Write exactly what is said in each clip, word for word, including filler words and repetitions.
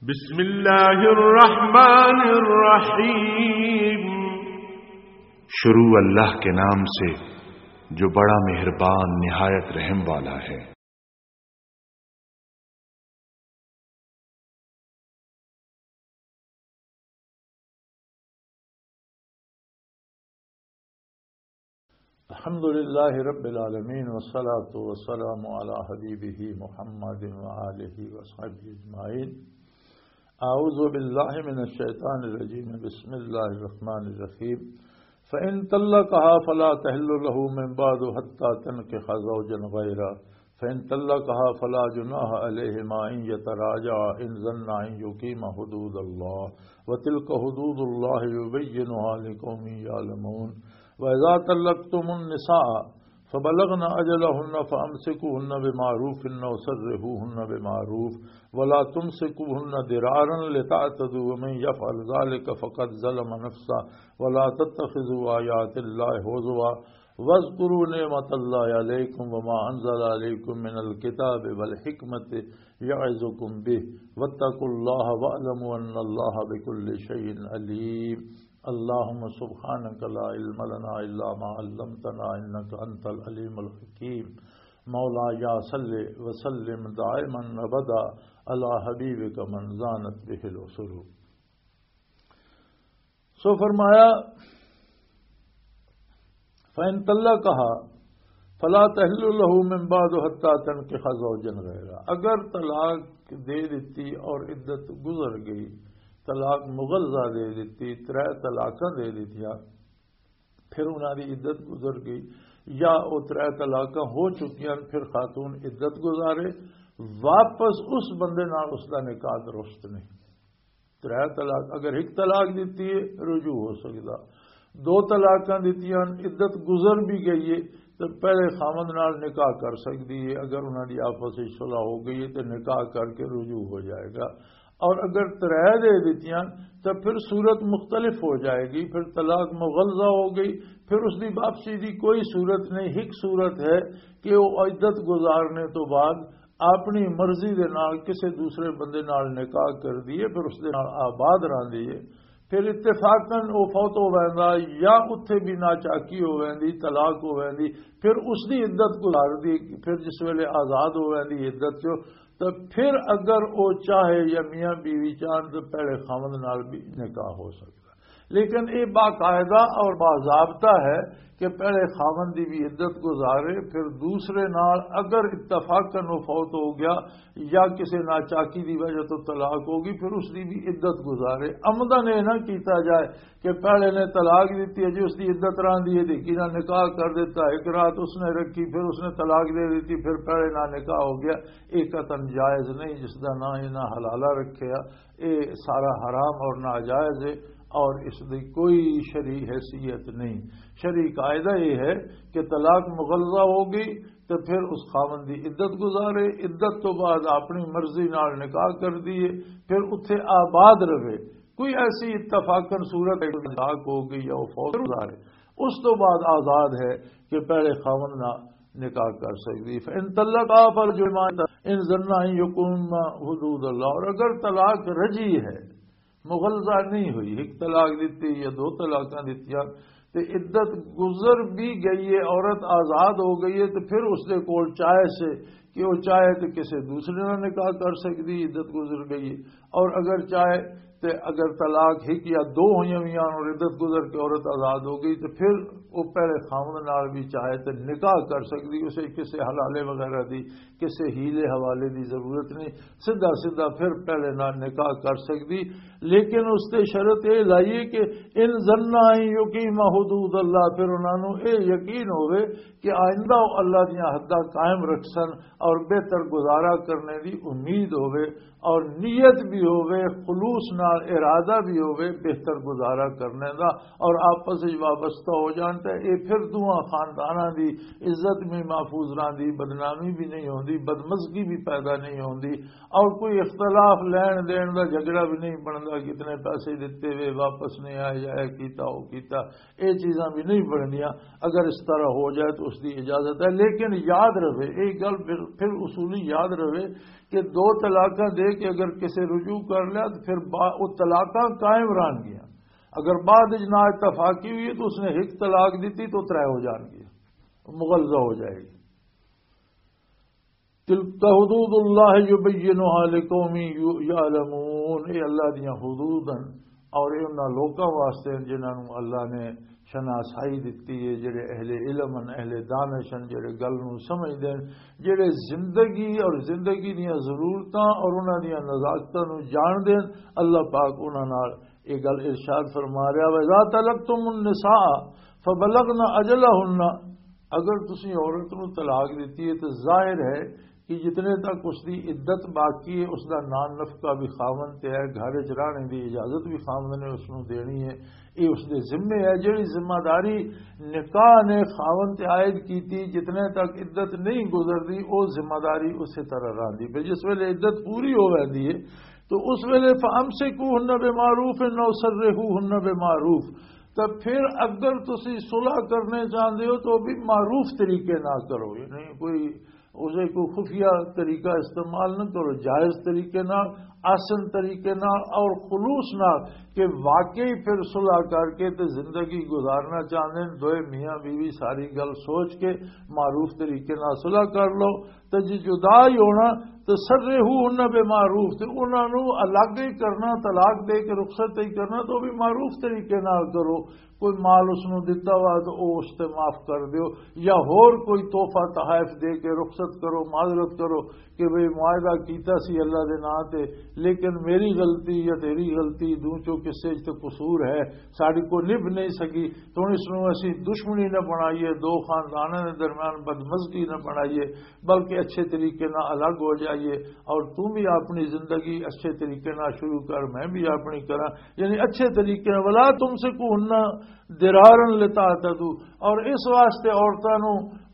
بسم اللہ الرحمن الرحیم۔ شروع اللہ کے نام سے جو بڑا مہربان نہایت رحم والا ہے۔ الحمد لله رب العالمين، والصلاة والسلام على حبيبه محمد وآله وصحبه أجمعين. أعوذ بالله من الشيطان الرجيم. بسم الله الرحمن الرحيم. فإن طلقها فلا تحل له من بعد حتى تنكح زوجا غيره، فإن طلقها فلا جناح عليهما أن يتراجعا إن ظنا أن يقيما حدود الله، وتلك حدود الله يبينها لقوم يعلمون. وإذا طلقتم النساء فبلغن أجلهن فأمسكوهن بمعروف أو سرحوهن بمعروف، ولا تمسكوهن ضرارا لتعتدوا، ومن يفعل ذلك فقد ظلم نفسه، ولا تتخذوا آيات الله هزوا، واذكروا نعمة الله عليكم وما أنزل عليكم من الكتاب والحكمة يعظكم به، واتقوا الله واعلموا أن الله بكل شيء عليم. اللهم سبحانك لا علم لنا إلا ما علمتنا إنك أنت العليم الحكيم. مولاي صل وسلم دائما أبدا على حبيبك من زانت به العصور. سو فرمایا، فَإِن طَلَّقَهَا فَلَا تَحِلُّ لَهُ مِن بَعْدُ حَتَّىٰ تَنكِحَ زَوْجًا غَيْرَهُ، اگر طلاق دے دیتی اور عدت گزر گئی، طلاق مغلظہ دے دیتی، ترے طلاقاں دے دیتیاں، پھر انہاں دی عدت گزر گئی یا او ترے طلاقاں ہو چکیاں، پھر خاتون عدت گزارے، واپس اس بندے نال اس دا نکاح درست نہیں۔ ترے طلاق، اگر ایک طلاق دتی ہے، رجوع ہو سکدا۔ دو طلاقاں دتیاں، عدت گزر بھی گئی ہے، تو پہلے خاوند نال نکاح کر سکدی ہے۔ اگر انہاں دی آپس وچ صلح ہو گئی ہے، تو نکاح کر کے رجوع ہو جائے گا۔ اور اگر ترے دے دتیاں، تو پھر صورت مختلف ہو جائے گی۔ پھر طلاق مغلظہ ہو گئی، پھر اس دی واپسی دی کوئی صورت نہیں۔ ایک صورت ہے کہ وہ عدت گزارنے تو بعد اپنی مرضی دے نال کسے دوسرے بندے نال نکاح کر دیے، پھر اس دے نال آباد رہندی ہے، پھر اتفاقاً وہ فوت ہو ویندا یا اتھے بھی ناچاکی ہو ویندی، طلاق ہو ویندی، پھر اس دی عدت گزار دی، پھر جس ویلے آزاد ہو ویندی عدت چوں، تو پھر اگر وہ چاہے یا میاں بیوی چاہن تو پہلے خاوند نال بھی نکاح ہو سکدا۔ لیکن یہ باقاعدہ اور باضابطہ ہے کہ پہلے خاوند دی بھی عدت گزارے، پھر دوسرے نال اگر اتفاقاً وہ فوت ہو گیا یا کسی ناچاکی دی وجہ تو طلاق ہوگی، پھر اس دی بھی عدت گزارے۔ عمداً یہ نہ کیتا جائے کہ پہلے نے طلاق دیتی ہے جی، اس دی عدت رہندی ہے، دیکھی نہ نکاح کر دیتا، ایک رات اس نے رکھی، پھر اس نے طلاق دے دیتی، پھر پہلے نہ نکاح ہو گیا۔ یہ قطعاً جائز نہیں، جس دا نہ انہاں حلالہ رکھیا، یہ سارا حرام اور ناجائز ہے، اور اس دی کوئی شرعی حیثیت نہیں۔ شرعی قاعدہ یہ ہے کہ طلاق مغلظہ ہو گئی تو پھر اس خاوند دی عدت گزارے، عدت تو بعد اپنی مرضی نال نکاح کر دیے، پھر اتھے آباد رہے۔ کوئی ایسی اتفاقاً صورت ہے کہ طلاق ہو گئی یا وہ فوت گزارے، اس تو بعد آزاد ہے کہ پہلے خاوند نہ نکاح کر سکدی۔ فَإِن طَلَّقَهَا فَلَا جُنَاحَ عَلَيْهِمَا أَن يَقِيمَا حُدُودَ اللَّهِ، اور اگر طلاق رجعی ہے، مغلظہ نہیں ہوئی، ایک طلاق دیتی یا دو طلاقاں دیتیاں، تے عدت گزر بھی گئی ہے، عورت آزاد ہو گئی ہے، تو پھر اس دے کول چاہے سے کہ وہ چاہے تو کسی دوسرے نال نکاح کر سکدی، عدت گزر گئی ہے۔ اور اگر چاہے تے اگر طلاق ہک یا دو ہوئیاں ہوئیاں اور عدت گزر کے عورت آزاد ہو گئی، تے پھر وہ پہلے خاوند نال بھی چاہے تے نکاح کر سکدی، اسے کسے حلالے وغیرہ دی، کسے ہیلے حوالے دی ضرورت نہیں، سیدھا سیدھا پھر پہلے نال نکاح کر سکدی۔ لیکن اس تے شرط یہ لائیے کہ ان ظنا ان یقیما حدود اللہ، پھر انہاں نوں یہ یقین ہوئے کہ آئندہ وہ اللہ دیاں حداں قائم رکھسن اور بہتر گزارا کرنے دی امید ہوئے اور نیت بھی ہوئے، خلوص نال ارادہ بھی ہوئے بہتر گزارا کرنے دا اور آپس وچ وابستہ ہو جان، تے اے پھر دوواں خانداناں دی عزت بھی محفوظ رہندی، بدنامی بھی نہیں ہوندی، بدمزگی بھی پیدا نہیں ہوندی، اور کوئی اختلاف لین دین دا جھگڑا بھی نہیں بندا، کتنے پیسے دتے وے، واپس نہیں آئے، یا اے کیتا، او کیتا، اے چیزاں بھی نہیں بننیاں۔ اگر اس طرح ہو جائے تو اس دی اجازت ہے، لیکن یاد رہے، ایک گل پھر، پھر اصولی یاد رہے کہ دو طلاقاں دے کے اگر کسے رجوع کر لیا تو پھر با-، وہ طلاقاں قائم رہن گیا۔ اگر بعد وچ نا اتفاقی ہوئی ہے تو اس نے ایک طلاق دیتی تو ترے ہو جان گیا، مغلظہ ہو جائے گی۔ تلک حدود اللہ یبینها لقوم یعلمون، اے اللہ دیاں حدود ہیں اور اے انہاں لوکاں واسطے ہیں جنہاں نوں اللہ نے شناسائی دتی ہے، جڑے اہل علم ہیں، اہل دانش ہیں، جڑے گل نوں سمجھدے ہیں، جڑے زندگی اور زندگی دیاں ضرورتاں اور انہاں دیاں نزاکتاں نوں جاندے ہیں۔ اللہ پاک انہاں نال یہ گل ارشاد فرما رہا ہے، "وَإِذَا طَلَّقْتُمُ النِّسَاءَ فَبَلَغْنَ أَجَلَهُنَّ۔" اگر تسی عورت نوں طلاق دتی ہے تو ظاہر ہے کہ جتنے تک اس دی عدت باقی ہے، اس دا نان نفقہ بھی خاوند تے ہے، گھر وچ رہنے دی اجازت بھی خاوند نے اس نوں دینی ہے، یہ اس دے ذمے ہے۔ جڑی ذمہ داری نکاح نے خاوند تے عائد کیتی، جتنے تک عدت نہیں گزردی، وہ ذمہ داری اسی طرح رہندی۔ پھر جس ویلے عدت پوری ہو ویندی ہے تو اس ویلے فَأَمْسِكُوهُنَّ بِمَعْرُوفٍ أَوْ سَرِّحُوهُنَّ بِمَعْرُوفٍ، تو پھر اگر تسی صلح کرنے چاہندے ہو تو بھی معروف طریقے نہ کرو، یعنی کوئی اسے کوئی خفیہ طریقہ استعمال نہ کرو، جائز طریقے نال، آسن طریقے نال اور خلوص نال، کہ واقعی پھر صلح کر کے تے زندگی گزارنا چاہندے ہیں، دوئے میاں بیوی ساری گل سوچ کے معروف طریقے نال صلح کر لو۔ تے جی جدا ہی ہونا، تے سرے ہو انہاں بے معروف، تے انہاں نو الگ ہی کرنا، طلاق دے کے رخصت ہی کرنا، تو بھی معروف طریقے نال کرو۔ کوئی مال اس نو دتا وا تو او اس تے معاف کر دیو، یا ہور کوئی تحفہ تحائف دے کے رخصت کرو، معذرت کرو کہ بھئی معاہدہ کیتا سی اللہ دے نام تے، لیکن میری غلطی یا تیری غلطی، دو چوں کسے چ تے قصور ہے، ساڈی کو نبھ نہیں سکی، تو ہن اس نو اسی دشمنی نہ بنائیے، دو خانداناں دے درمیان بدمزگی نہ بنائیے، بلکہ اچھے طریقے نال الگ ہو جائیے، اور تم بھی اپنی زندگی اچھے طریقے نال شروع کر، میں بھی اپنی کراں، یعنی اچھے طریقے نال۔ ولا تمسکوهن ضرارا لتعتدوا، اور اس واسطے عورتاں نو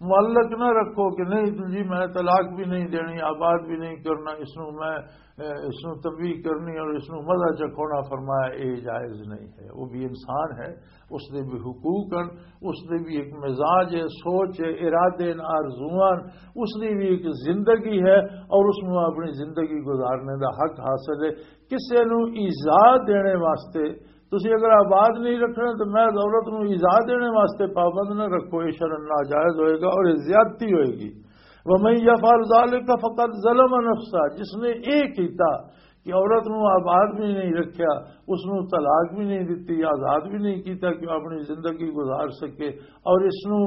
معلق نہ رکھو کہ نہیں جی میں طلاق بھی نہیں دینی، آباد بھی نہیں کرنا، اس نو میں، اے، اس نو تنبیہ کرنی اور اس نو مزہ چکھونا، فرمایا یہ جائز نہیں ہے۔ وہ بھی انسان ہے، اس دے بھی حقوق ہیں، اس دے بھی ایک مزاج ہے، سوچ ہے، ارادے ہیں، آرزواں ہیں، اس دی بھی ایک زندگی ہے اور اس نو اپنی زندگی گزارنے دا حق حاصل ہے۔ کسے نو ایذا دینے واسطے، تسی اگر آباد نہیں رکھنا تو میں عورت نو ایذا دینے واسطے پابند نہ رکھو، یہ شرع ناجائز ہوئے گا اور یہ زیادتی ہوئے گی۔ وَمَن يَفْعَلْ ذَلِكَ فَقَدْ ظَلَمَ نَفْسَهُ، جس نے یہ کیتا کہ عورت نو آباد بھی نہیں رکھیا، اس نو طلاق بھی نہیں دتی، آزاد بھی نہیں کیتا کہ وہ اپنی زندگی گزار سکے، اور اس نو،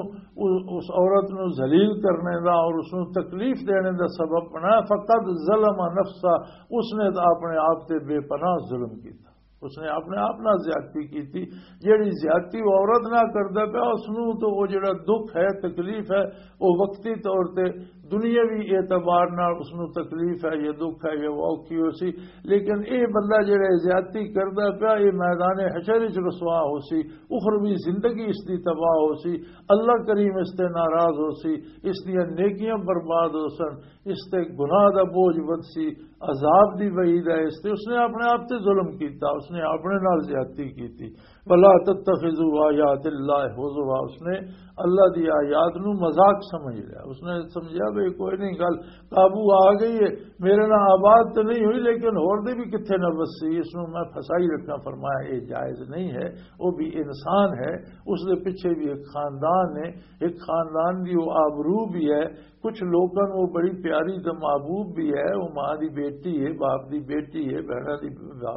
اس عورت نو ذلیل کرنے دا اور اس نو تکلیف دینے دا سبب بنایا، فقد ظلم نفسہ، اس نے تو اپنے آپ تے بے پناہ ظلم کیتا، اس نے اپنے آپ نال زیادتی کیتی۔ جیڑی زیادتی وہ عورت نال کردا پیا، اس نو تو وہ جڑا دکھ ہے، تکلیف ہے، وہ وقتی طور تے دنیاوی اعتبار نال اس نو تکلیف ہے، یہ دکھ ہے، یہ وہ اوکھی ہو سی۔ لیکن اے بندہ جڑا زیادتی کردا پیا، یہ میدان حشر وچ رسوا ہو سی، اخروی زندگی اس دی تباہ ہو سی، اللہ کریم اس تے ناراض ہو سی، اس دیاں نیکیاں برباد ہو سن، اس تے گناہ دا بوجھ ود سی، عذاب دی وعید ہے اس تے۔ اس نے اپنے آپ تے ظلم کیتا، اس نے اپنے نال زیادتی کیتی۔ ولا تتخذوا آیات اللہ ہزوا، اس نے اللہ دی آیات نو مذاق سمجھ لیا۔ اس نے سمجھیا بھی کوئی نہیں، گل قابو آ گئی ہے، میرے نال آباد تو نہیں ہوئی لیکن ہور دے بھی کتھے نہ وسی، اس نو میں پھسائی رکھاں۔ فرمایا یہ جائز نہیں ہے، وہ بھی انسان ہے، اس دے پیچھے بھی ایک خاندان ہے، ایک خاندان دی وہ آبرو بھی ہے۔ کچھ لوکاں نوں وہ بڑی پیاری تے محبوب بھی ہے، وہ ماں دی بیٹی ہے، باپ دی بیٹی ہے، بہناں دی،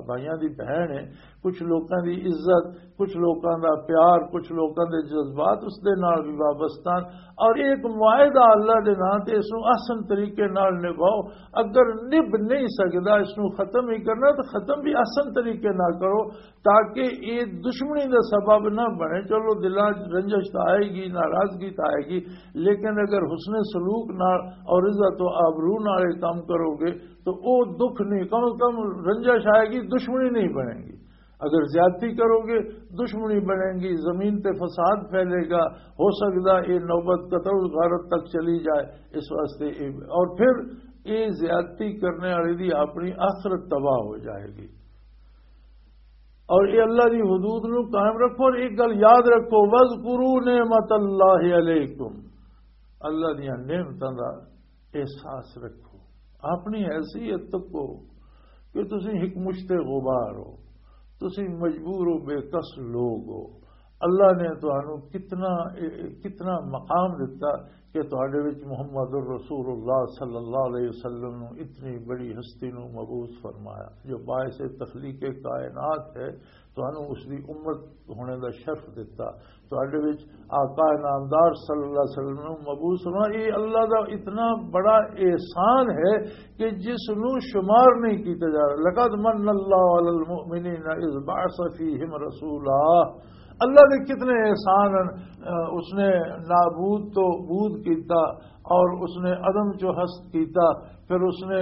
بھائیاں دی بہن ہے۔ کچھ لوکاں دی عزت کچھ لوکاں دا پیار، کچھ لوکاں دے جذبات اس دے نال بھی وابستہ ہن۔ اور ایک معاہدہ اللہ دے نام تے، اس نوں احسن طریقے نال نبھاؤ۔ اگر نبھ نہیں سکدا اس نوں ختم ہی کرنا، تو ختم بھی احسن طریقے نال کرو، تاکہ یہ دشمنی دا سبب نہ بنے۔ چلو، دلاں 'چ رنجش تاں آئے گی، ناراضگی تاں آئے گی، لیکن اگر حسن سلوک نال اور عزت و آبرو نال یہ کام کرو گے، تو وہ دکھ نہیں، کم از کم رنجش آئے گی، دشمنی نہیں بنے گی۔ اگر زیادتی کرو گے، دشمنی بنے گی، زمین تے فساد پھیلے گا، ہو سکدا یہ نوبت قتل و غارت تک چلی جائے۔ اس واسطے یہ، اور پھر یہ زیادتی کرنے والے دی اپنی آخرت تباہ ہو جائے گی۔ اور یہ اللہ دی حدود نو قائم رکھو۔ اور ایک گل یاد رکھو، "وَاذْكُرُوا نِعْمَتَ اللَّهِ عَلَيْكُمْ"، اللہ دیاں نعمتاں دا احساس رکھو، اپنی حیثیت تکو کہ تسی ایک مشت غبار ہو، تسی مجبور و بے کس لوگ ہو۔ اللہ نے تانوں کتنا، کتنا مقام دتا کہ تہاڈے وچ محمد الرسول اللہ صلی اللہ علیہ وسلم نو، اتنی بڑی ہستی نو مبعوث فرمایا، جو باعث تخلیق کائنات ہے، تانوں اس دی امت ہونے دا شرف دتا۔ تہاڈے وچ آقا نامدار صلی اللہ علیہ وسلم نو مبعوث ہونا، یہ اللہ دا اتنا بڑا احسان ہے کہ جس نو شمار نہیں کیتا جا رہا۔ "لَقَدْ مَنَّ اللَّهُ عَلَى الْمُؤْمِنِينَ إِذْ بَعَثَ فِيهِمْ رَسُولًا۔" اللہ دے کتنے احسان ہیں۔ اس نے نابود تو بود کیتا، اور اس نے عدم چو ہست کیتا، پھر اس نے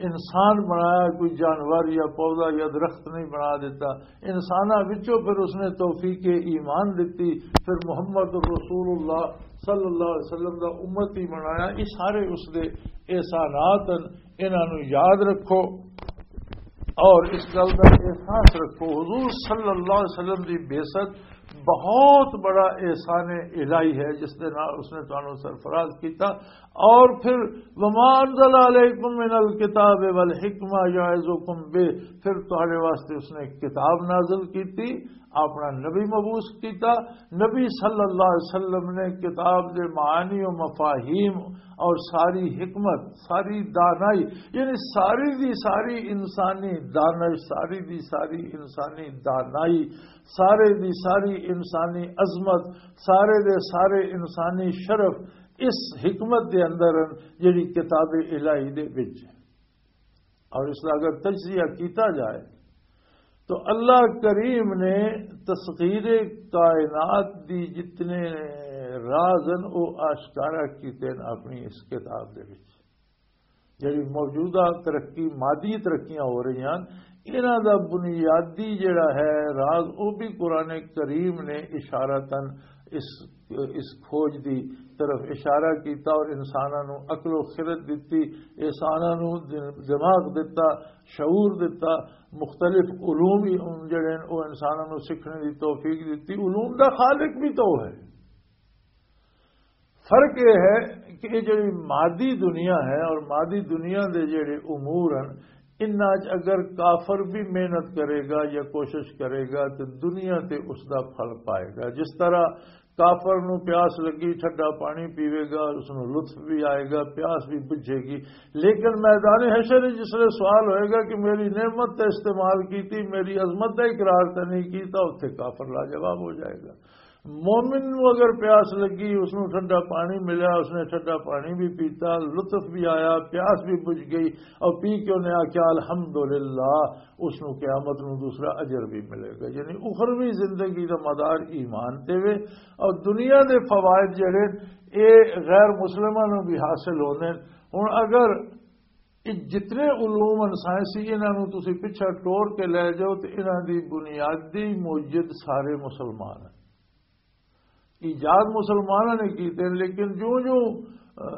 انسان بنایا، کوئی جانور یا پودا یا درخت نہیں بنا دیتا۔ انساناں وچوں پھر اس نے توفیق ایمان دتی، پھر محمد رسول اللہ صلی اللہ علیہ وسلم دا امتی بنایا۔ یہ سارے اس دے احسانات ہیں، انہاں نوں یاد رکھو اور اس گل دا احساس رکھو۔ حضور صلی اللہ علیہ وسلم دی بعثت بہت بڑا احسان الہی ہے، جس دے نال اس نے تانوں سرفراز کیتا۔ اور پھر، "وما انزل علیکم من الکتاب والحکمہ یعظکم بہ"، پھر تہاڈے واسطے اس نے کتاب نازل کیتی، اپنا نبی مبعوث کیتا۔ نبی صلی اللہ علیہ وسلم نے کتاب دے معانی و مفاہیم اور ساری حکمت، ساری دانائی، یعنی ساری دی ساری انسانی دانش، ساری دی ساری انسانی دانائی، سارے دی ساری انسانی عظمت، سارے دے سارے انسانی شرف اس حکمت دے اندر ہیں، جڑی کتاب الہی دے وچ ہے۔ اور اس کا اگر تجزیہ کیتا جائے تو اللہ کریم نے تسخیر کائنات دی جتنے راز ہیں، وہ آشکارا کیتے ہیں اپنی اس کتاب دے وچ۔ جڑی موجودہ ترقی، مادی ترقیاں ہو رہی ہیں، انہاں دا بنیادی جڑا ہے راز، وہ بھی قرآن کریم نے اشارتاً اس، اس کھوج دی طرف اشارہ کیتا اور انساناں نوں عقل و خرد دتی، انساناں نوں دماغ دتا، شعور دتا، مختلف علوم ہی ان جڑے ہیں، وہ انساناں نوں سیکھنے دی توفیق دتی۔ علوم دا خالق بھی تو ہے۔ فرق یہ ہے کہ یہ جڑی مادی دنیا ہے اور مادی دنیا دے جڑے امور ہیں، انہاں چ اگر کافر بھی محنت کرے گا یا کوشش کرے گا تو دنیا تے اس دا پھل پائے گا۔ جس طرح کافر نو پیاس لگی، ٹھڈا پانی پیوے گا، اس نو لطف بھی آئے گا، پیاس بھی بجھے گی، لیکن میدان حشر وچ جس لئے سوال ہوئے گا کہ میری نعمت تے استعمال کیتی، میری عظمت دا اقرار تے نہیں کیتا، اتھے کافر لاجواب ہو جائے گا۔ مومن نو اگر پیاس لگی، اس نو ٹھنڈا پانی ملیا، اس نے ٹھنڈا پانی بھی پیتا، لطف بھی آیا، پیاس بھی بجھ گئی، اور پی کے انہیں آکھیا، "الحمدللہ"، اس نو قیامت نو دوسرا اجر بھی ملے گا۔ یعنی اخروی زندگی دا مدار ایمان تے وے، اور دنیا دے فوائد جڑے، اے غیر مسلماں نو بھی حاصل ہوندے۔ ہن اگر اے جتنے علوم ان سائنسی، انہاں نو تسی پچھا ٹور کے لے جاؤ، تے انہاں دی بنیادی موجد سارے مسلمان ہیں۔ ایجاد مسلماناں نے کیتے ہیں، لیکن جوں جوں، آ،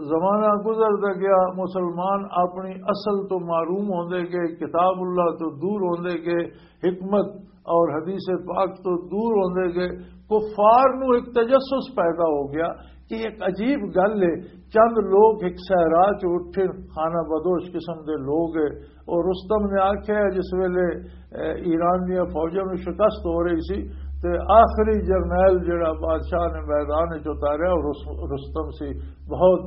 زمانہ گزردا گیا، مسلمان اپنی اصل تو محروم ہوندے گئے، کتاب اللہ تو دور ہوندے گئے، حکمت اور حدیث پاک تو دور ہوندے گئے۔ کفار نو ایک تجسس پیدا ہو گیا کہ ایک عجیب گل ہے، چند لوگ ایک صحرا چ اٹھے، خانہ بدوش قسم دے لوگ ہے، اور رستم نے آکھیا ہے، جس ویلے، اے، ایران دیاں فوجاں نوں شکست ہو رہی سی، تے آخری جرنیل جڑا بادشاہ نے میدان وچ اتاریا، او رس-، رستم سی۔ بہت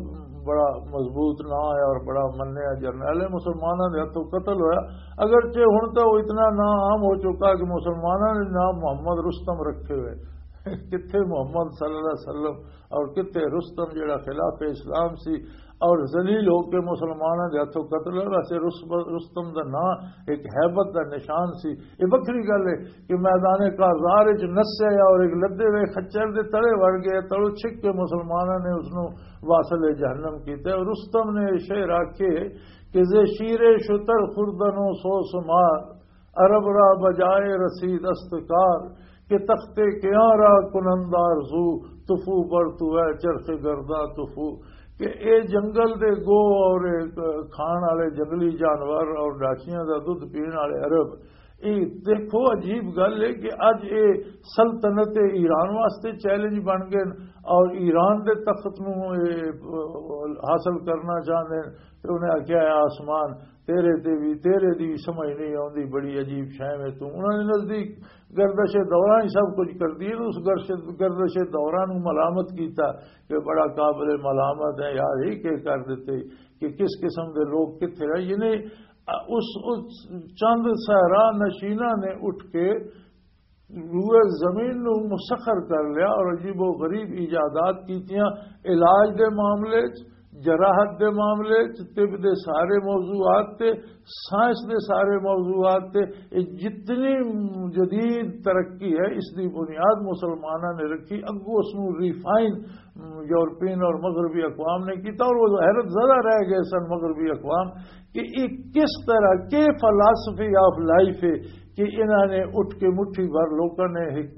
بڑا مضبوط نام ہے اور بڑا منیا جرنیل ہے، مسلمانوں دے ہتھوں قتل ہویا۔ اگرچہ ہن تو وہ اتنا نام عام ہو چکا کہ مسلمانوں نے نام محمد رستم رکھے ہوئے۔ کتھے محمد صلی اللہ علیہ وسلم اور کتھے رستم، جڑا خلاف اسلام سی اور ذلیل ہو کے مسلمانوں دے ہتھوں قتل ہویا۔ ویسے رس-، رستم دا نام ایک ہیبت دا نشان سی۔ یہ وکری گل ہے کہ میدان کازار وچ نسے اور ایک لدے ہوئے خچر دے تلے وڑ گئے، تلو چھک کے مسلمانوں نے اس نو واصل جہنم کیتا۔ اور رستم نے یہ شعر آکھے کہ زے شیر شتر خوردن و سو سمار، عرب را بجائے رسید است کار، کہ تخت کیاں را کنند آرزو، تفو بر تو ہے چرخ گردا تفو۔ کہ اے جنگل دے گو اور اے کھان والے جنگلی جانور اور ڈاچیاں دا دودھ پین والے عرب، اے دیکھو عجیب گل ہے کہ اج اے سلطنت ایران واسطے چیلنج بن گئے اور ایران دے تخت نو اے حاصل کرنا چاہندے نے۔ تے انہیں آکھیا، "اے آسمان، تیرے تے بھی، تیرے دی بھی سمجھ نہیں آوندی، بڑی عجیب شے میں تو۔" انہاں دے نزدیک گردش دوران ہی سب کچھ کر دی، اس گردش، گردش دوران نو ملامت کیتا کہ بڑا قابل ملامت ہے یار، یہ کیا کر دیتے کہ کس قسم دے لوگ کتھے رہ، یعنی اس، اس چند صحرا نشینہ نے اٹھ کے روئے زمین نو مسخر کر لیا اور عجیب و غریب ایجادات کیتیاں، علاج دے معاملے چ، جراحت دے معاملے چ، طب دے سارے موضوعات تے، سائنس دے سارے موضوعات تے۔ یہ جتنی جدید ترقی ہے، اس دی بنیاد مسلمانوں نے رکھی۔ اگوں اس نو ریفائن یورپین اور مغربی اقوام نے کیتا اور وہ حیرت زدہ رہ گئے سن مغربی اقوام کہ یہ کس طرح کے فلاسفی آف لائف ہے کہ انہوں نے اٹھ کے مٹھی بھر لوگوں نے ایک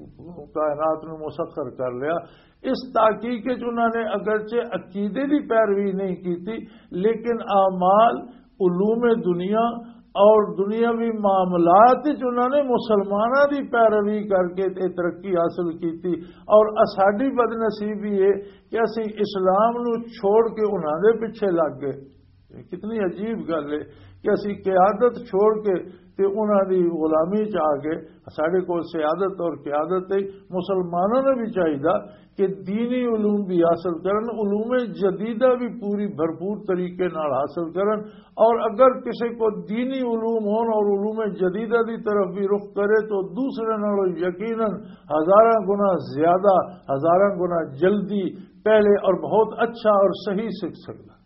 کائنات نو مسخر کر لیا۔ اس تحقیق وچ انہوں نے اگرچہ عقیدے دی پیروی نہیں کیتی، لیکن اعمال، علوم دنیا اور دنیاوی معاملات وچ انہوں نے مسلمانوں دی پیروی کر کے تے ترقی حاصل کیتی۔ اور ساڈی بدنصیبی ہے کہ اسی اسلام نو چھوڑ کے انہاں دے پیچھے لگ گئے۔ یہ کتنی عجیب گل ہے کہ اسی قیادت چھوڑ کے تے انہاں دی غلامی چ آ گئے۔ ساڈے کول سیادت اور قیادت ہے، مسلمانوں نے بھی چاہیدا کہ دینی علوم بھی حاصل کرن، علوم جدیدہ بھی پوری بھرپور طریقے نال حاصل کرن، اور اگر کسی کو دینی علوم ہون اور علوم جدیدہ دی طرف بھی رخ کرے تو دوسرے نالوں یقیناً ہزاراں گنا زیادہ، ہزاراں گنا جلدی، پہلے اور بہت اچھا اور صحیح سیکھ سکتا۔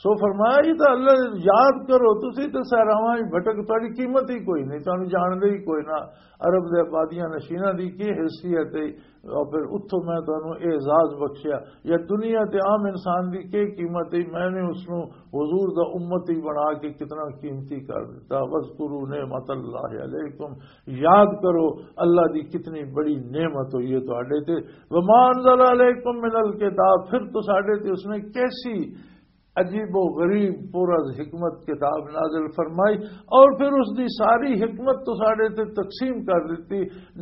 سو فرمایا، یہ تو اللہ یاد کرو، تسی تو سہراواں وچ بھٹک، تہاڈی قیمت ہی کوئی نہیں، تانوں جاندا ہی کوئی نہ۔ عرب دے آبادیاں نشیناں دی کی حیثیت ہے، اور پھر اتھوں میں تانوں اعزاز بخشیا۔ یا دنیا تے عام انسان دی کی قیمت ہے، میں نے اس نو حضور دا امتی بنا کے کتنا قیمتی کر دیتا۔ وَاذْكُرُوا نِعْمَتَ اللَّهِ عَلَيْكُمْ، یاد کرو اللہ دی کتنی بڑی نعمت ہوئی ہے تہاڈے تے۔ وَمَا أَنزَلَ عَلَيْكُمْ مِنَ الْكِتَابِ، پھر تہاڈے تے اس نے کیسی عجیب و غریب پر از حکمت کتاب نازل فرمائی، اور پھر اس دی ساری حکمت تہاڈے تے تقسیم کر دیتی۔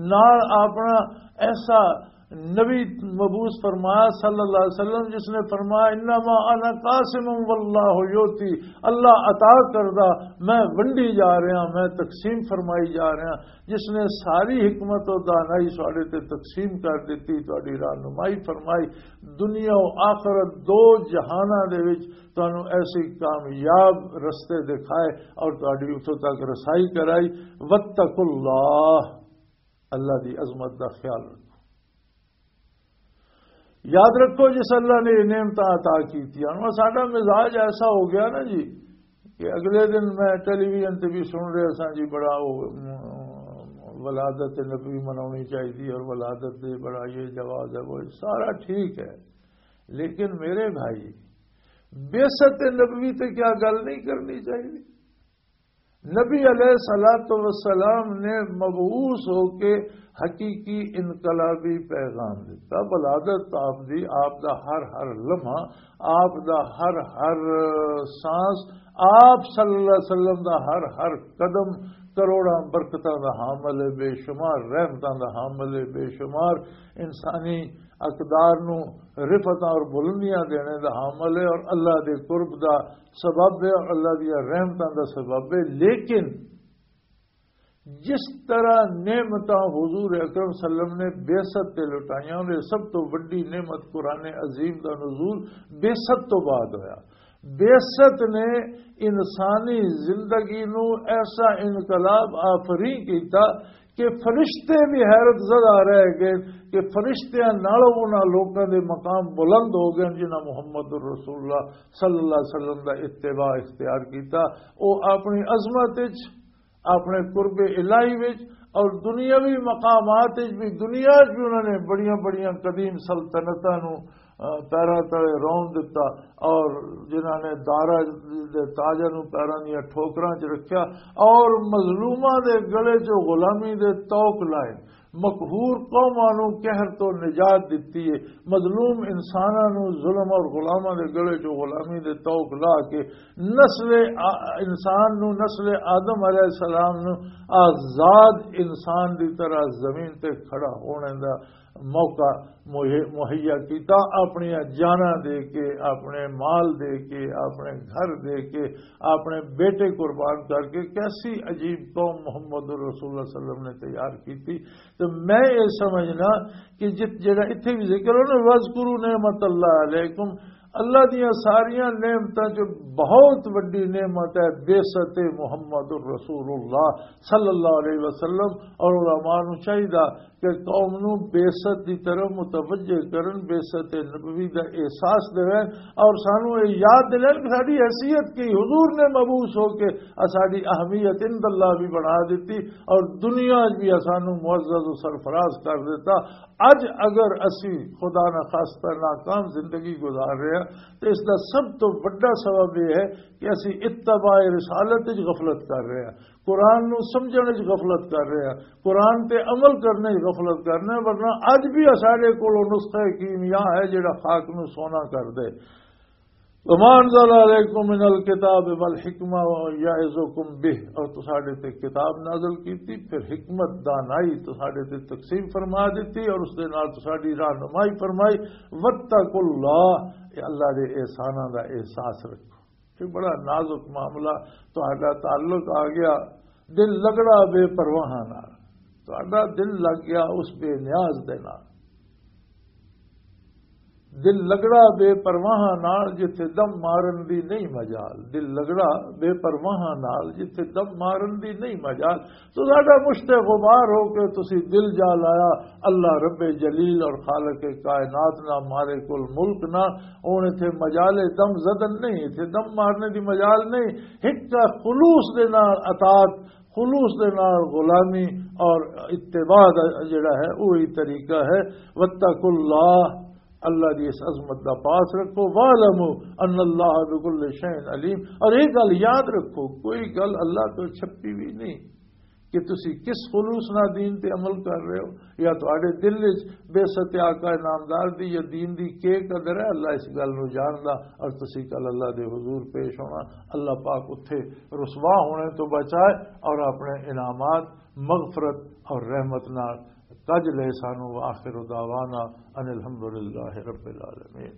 نال اپنا ایسا نبی مبعوث فرمایا صلی اللہ علیہ وسلم، جس نے فرمایا، "انما انا قاسم واللہ یؤتی"، اللہ عطا کردہ، میں ونڈی جا رہا، میں تقسیم فرمائی جا رہا۔ جس نے ساری حکمت و دانائی ساڈے تے تقسیم کر دیتی، تہاڈی رہنمائی فرمائی، دنیا و آخرت دو جہاناں دے وچ تانوں ایسی کامیاب رستے دکھائے اور تہاڈی اتھوں تک رسائی کرائی۔ واتقوا اللہ، اللہ دی عظمت دا خیال رکھو۔ یاد رکھو، جس اللہ نے یہ نعمت عطا کی تھی، ہن ساڈا مزاج ایسا ہو گیا نا جی، کہ اگلے دن میں ٹیلی ویژن تے بھی سن رہا سا جی، بڑا وہ، م، ولادت نبوی مناونی چاہیے اور ولادت دے بڑا یہ جواز ہے، وہ سارا ٹھیک ہے، لیکن میرے بھائی، بعثت نبوی تے کیا گل نہیں کرنی چاہیے؟ نبی علیہ الصلوۃ والسلام نے مبعوث ہو کے حقیقی انقلابی پیغام دیتا۔ ولادت آپ دی، آپ دا ہر ہر لمحہ، آپ دا ہر ہر سانس، آپ صلی اللہ علیہ وسلم دا ہر ہر قدم کروڑاں برکتاں دا حامل ہے، بے شمار رحمتاں دا حامل ہے، بے شمار انسانی اقدار نو رفعتاں اور بلندیاں دینے دا حامل ہے اور اللہ دے قرب دا سبب ہے اور اللہ دیا رحمتاں دا سبب ہے۔ لیکن جس طرح نعمتاں حضور اکرم صلی اللہ علیہ وسلم نے بعثت تے لٹائیاں، اور یہ سب تو وڈی نعمت قرآن عظیم دا نزول بعثت تو بعد ہویا۔ بعثت نے انسانی زندگی نو ایسا انقلاب آفرین کیتا کہ فرشتے بھی حیرت زدہ رہ گئے کہ فرشتیاں نالوں انہاں لوکاں دے مقام بلند ہو گئے جنہاں محمد رسول اللہ صلی اللہ علیہ وسلم دا اتباع اختیار کیتا۔ او اپنی عظمت وچ، اپنے قرب الہی وچ اور دنیاوی مقامات وچ بھی، دنیا وچ بھی انہوں نے بڑیاں بڑیاں قدیم سلطنتاں نو، آ، پیراں تلے رون دتا، اور جنہاں نے دارا دے تاجاں نو پیراں دیاں ٹھوکراں چ رکھیا، اور مظلوماں دے گلے چ غلامی دے طوق لائے، مقہور قوماں نو قہر تو نجات دتی ہے، مظلوم انساناں نو ظلم اور غلاماں دے گلے چ غلامی دے طوق لا کے نسل آ-، انسان نو، نسل آدم علیہ السلام نو آزاد انسان دی طرح زمین تے کھڑا ہونے دا موقع مہی-، مہیا کیتا۔ اپنی جاناں دے کے، اپنے مال دے کے، اپنے گھر دے کے، اپنے بیٹے قربان کر کے کیسی عجیب قوم محمد رسول اللہ صلی اللہ علیہ وسلم نے تیار کیتی۔ تو میں یہ سمجھنا کہ جت-، جڑا اتھے بھی ذکر ہو نا، "وَاذْكُرُوا نِعْمَتَ اللَّهِ عَلَيْكُمْ"، اللہ دیاں ساریاں نعمتاں چ بہت وڈی نعمت ہے بعثت محمد رسول اللہ صلی اللہ علیہ وسلم۔ اور علماء نو چاہیدا کہ قوم نو بعثت دی طرف متوجہ کرن، بعثت نبوی دا احساس دین، اور سانو یہ یاد دلائن کہ ساڈی حیثیت کی، حضور نے مبعوث ہو کے ساڈی اہمیت عند اللہ بھی بنا دیتی اور دنیا وچ بھی سانو معزز و سرفراز کر دیتا۔ اج اگر اسی خدا نہ خواستہ ناکام زندگی گزار رہے ہیں تو اس دا سب تو بڑا سبب یہ ہے کہ اسی اتباع رسالت وچ غفلت کر رہے ہیں، قرآن نو سمجھنے وچ غفلت کر رہے ہیں، قرآن تے عمل کرنے وچ غفلت کرنے ہیں، ورنہ اج بھی ساڈے کول نسخہ کیمیا ہے جڑا خاک نو سونا کر دے۔ "وما انزل علیکم من الکتاب والحکمہ یعظکم بہ"، اور تساڈے تے کتاب نازل کیتی، پھر حکمت، دانائی تساڈے تے تقسیم فرما دیتی اور اس دے نال تساڈی رہنمائی فرمائی۔ "واتقوا اللہ"، اے اللہ دے احساناں دا احساس رکھو۔ یہ بڑا نازک معاملہ، تہاڈا تعلق آ گیا دل لگڑا بے پرواہاں نال، تہاڈا دل لگ گیا اس بے نیاز دے نال۔ دل لگڑا بے پرواہاں نال، جتھے دم مارن دی نہیں مجال۔ دل لگڑا بے پرواہاں نال، جتھے دم مارن دی نہیں مجال۔ تو ساڈا مشت غبار ہو کے تسی دل جا لایا اللہ رب جلیل اور خالق کائنات نہ، مالک الملک نہ۔ ہن اتھے مجال دم زدن نہیں، اتھے دم مارنے دی مجال نہیں۔ ہک خلوص دے نال اطاعت، خلوص دے نال غلامی اور اتباع دا جڑا ہے، وہی طریقہ ہے۔ "واتقوا اللہ"، اللہ دی اس عظمت دا پاس رکھو۔ "واعلموا ان اللہ بكل شيء عليم"، اور یہ گل یاد رکھو، کوئی گل اللہ تو چھپی بھی نہیں کہ تسی کس خلوص نال دین تے عمل کر رہے ہو، یا تہاڈے دل وچ بعثت آقا نامدار دی یا دین دی کے قدر ہے، اللہ اس گل نو جاندا۔ اور تسی کل اللہ دے حضور پیش ہونا، اللہ پاک اتھے رسوا ہونے تو بچائے اور اپنے انعامات، مغفرت اور رحمت نال کج لے سانو۔ وآخر دعوانا ان الحمدللہ رب العالمین۔